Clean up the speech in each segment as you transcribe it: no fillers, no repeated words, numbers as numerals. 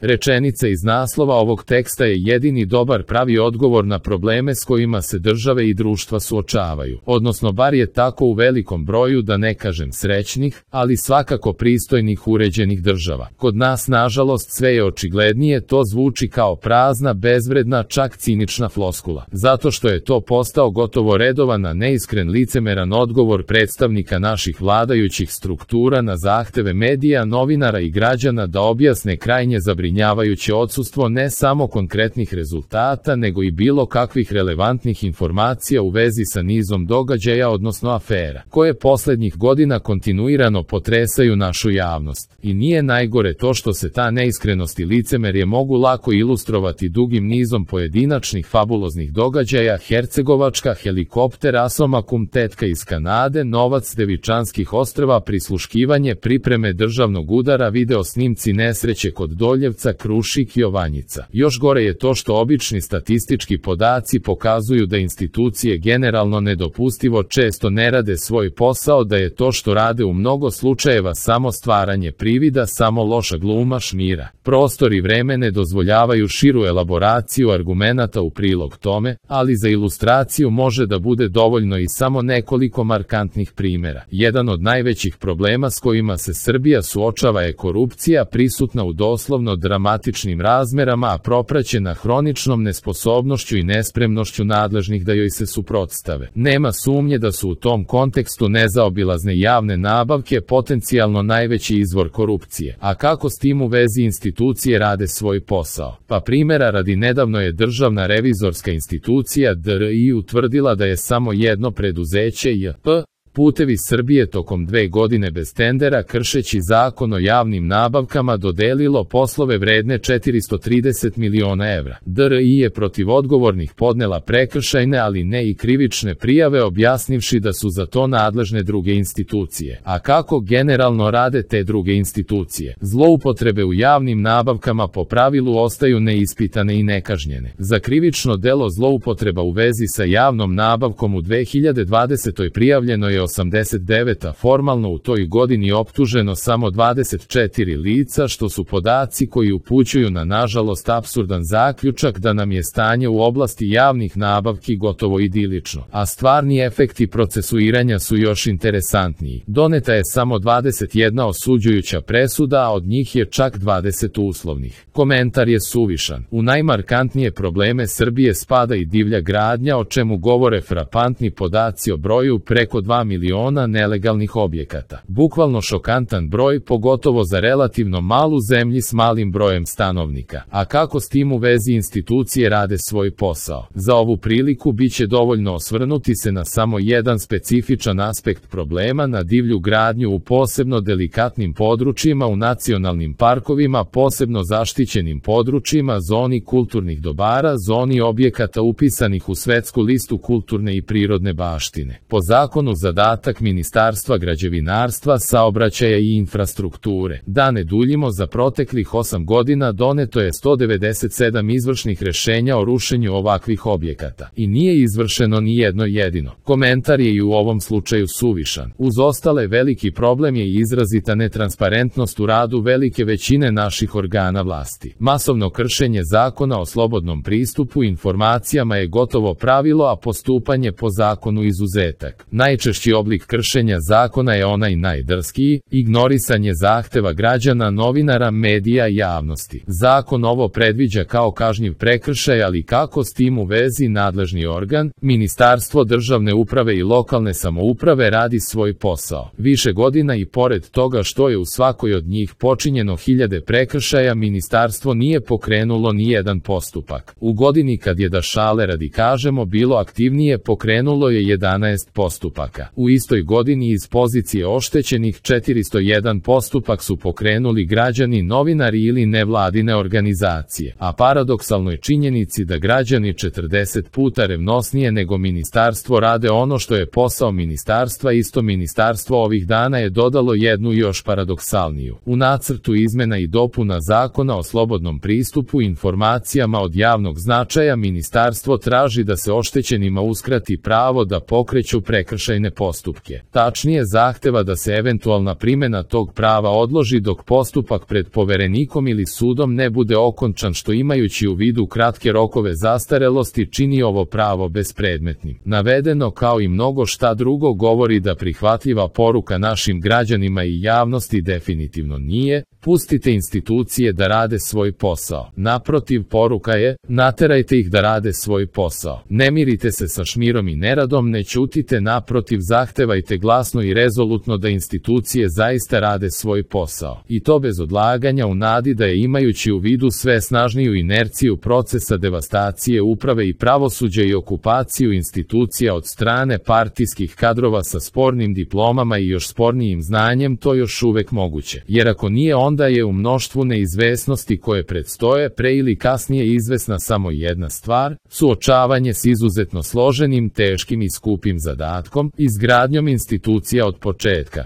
Rečenica iz naslova ovog teksta je jedini dobar pravi odgovor na probleme s kojima se države i društva suočavaju, odnosno bar je tako u velikom broju, da ne kažem srećnih, ali svakako pristojnih uređenih država. Kod nas, nažalost, sve je očiglednije, to zvuči kao prazna, bezvredna, čak cinična floskula, zato što je to postao gotovo redovan, a neiskren, licemeran odgovor predstavnika naših vladajućih struktura na zahteve medija, novinara i građana da objasne krajnje zabrinjavajuće odsustvo ne samo konkretnih rezultata, nego i bilo kakvih relevantnih informacija u vezi sa nizom događaja, odnosno afera, koje poslednjih godina kontinuirano potresaju našu javnost. I nije najgore to što se ta neiskrenost i licemerje mogu lako ilustrovati dugim nizom pojedinačnih fabuloznih događaja: Hercegovačka, helikopter, Asomakum, tetka iz Kanade, novac Devičanskih ostrva, prisluškivanje, pripreme državnog udara, video snimci nesreće kod Doljevca, Krušik, Jovanjica. Još gore je to što obični statistički podaci pokazuju da institucije generalno nedopustivo često ne rade svoj posao, da je to što rade u mnogo slučajeva samo stvaranje privida, samo loša gluma, šmira. Prostor i vreme ne dozvoljavaju širu elaboraciju argumenata u prilog tome, ali za ilustraciju može da bude dovoljno i samo nekoliko markantnih primjera. Jedan od najvećih problema s kojima se Srbija suočava je korupcija, prisutna u doslovno dramatičnim razmerama, a propraćena hroničnom nesposobnošću i nespremnošću nadležnih da joj se suprotstave. Nema sumnje da su u tom kontekstu nezaobilazne javne nabavke potencijalno najveći izvor korupcije. A kako s tim u vezi institucije rade svoj posao? Pa primjera radi, nedavno je Državna revizorska institucija DRI utvrdila da je samo jedno preduzeće JP Putevi Srbije tokom 2 godine bez tendera, kršeći Zakon o javnim nabavkama, dodelilo poslove vredne 430 miliona evra. DRI je protiv odgovornih podnela prekršajne, ali ne i krivične prijave, objasnivši da su za to nadležne druge institucije. A kako generalno rade te druge institucije? Zloupotrebe u javnim nabavkama po pravilu ostaju neispitane i nekažnjene. Za krivično delo zloupotreba u vezi sa javnom nabavkom u 2020. prijavljeno je 89, a formalno u toj godini optuženo samo 24 lica, što su podaci koji upućuju na nažalost apsurdan zaključak da nam je stanje u oblasti javnih nabavki gotovo idilično, a stvarni efekti procesuiranja su još interesantniji. Doneta je samo 21 osuđujuća presuda, a od njih je čak 20 uslovnih. Komentar je suvišan. U najmarkantnije probleme Srbije spada i divlja gradnja, o čemu govore frapantni podaci o broju preko 2 miliona nelegalnih objekata. Bukvalno šokantan broj, pogotovo za relativno malu zemlju s malim brojem stanovnika. A kako s tim u vezi institucije rade svoj posao? Za ovu priliku biće dovoljno osvrnuti se na samo jedan specifičan aspekt problema, na divlju gradnju u posebno delikatnim područjima, u nacionalnim parkovima, posebno zaštićenim područjima, zoni kulturnih dobara, zoni objekata upisanih u svetsku listu kulturne i prirodne baštine. Po zakonu zadatak Ministarstva građevinarstva, saobraćaja i infrastrukture. Da ne duljimo, za proteklih 8 godina doneto je 197 izvršnih rešenja o rušenju ovakvih objekata. I nije izvršeno ni jedno jedino. Komentar je i u ovom slučaju suvišan. Uz ostale, veliki problem je i izrazita netransparentnost u radu velike većine naših organa vlasti. Masovno kršenje Zakona o slobodnom pristupu informacijama je gotovo pravilo, a postupanje po zakonu izuzetak. Najčešći oblik kršenja zakona je onaj najdrskiji, ignorisanje zahteva građana, novinara, medija i javnosti. Zakon ovo predviđa kao kažnjiv prekršaj, ali kako s tim u vezi nadležni organ, Ministarstvo državne uprave i lokalne samouprave, radi svoj posao? Više godina i pored toga što je u svakoj od njih počinjeno hiljade prekršaja, ministarstvo nije pokrenulo ni jedan postupak. U godini kad je, da šale radi kažemo, bilo aktivnije, pokrenulo je 11 postupaka. U istoj godini iz pozicije oštećenih 401 postupak su pokrenuli građani, novinari ili nevladine organizacije. A paradoksalnoj činjenici da građani 40 puta revnosnije nego ministarstvo rade ono što je posao ministarstva, isto ministarstvo ovih dana je dodalo jednu još paradoksalniju. U nacrtu izmena i dopuna Zakona o slobodnom pristupu informacijama od javnog značaja ministarstvo traži da se oštećenima uskrati pravo da pokreću prekršajne postupke. postupke. Tačnije zahteva da se eventualna primjena tog prava odloži dok postupak pred poverenikom ili sudom ne bude okončan, što imajući u vidu kratke rokove zastarelosti čini ovo pravo bespredmetnim. Navedeno kao i mnogo šta drugo govori da prihvatljiva poruka našim građanima i javnosti definitivno nije: pustite institucije da rade svoj posao. Naprotiv, poruka je: naterajte ih da rade svoj posao. Ne mirite se sa šmirom i neradom, ne ćutite, naprotiv, zahtevajte glasno i rezolutno da institucije zaista rade svoj posao. I to bez odlaganja, u nadi da je, imajući u vidu sve snažniju inerciju procesa devastacije uprave i pravosuđa i okupaciju institucija od strane partijskih kadrova sa spornim diplomama i još spornijim znanjem, to još uvek moguće. Jer ako nije, onda je u mnoštvu neizvesnosti koje predstoje pre ili kasnije izvesna samo jedna stvar: suočavanje s izuzetno složenim, teškim i skupim zadatkom, izgradnjom institucija od početka.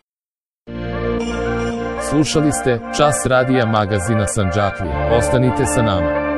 Slušali ste Čas radija magazina Sandžaklija. Ostanite sa nama.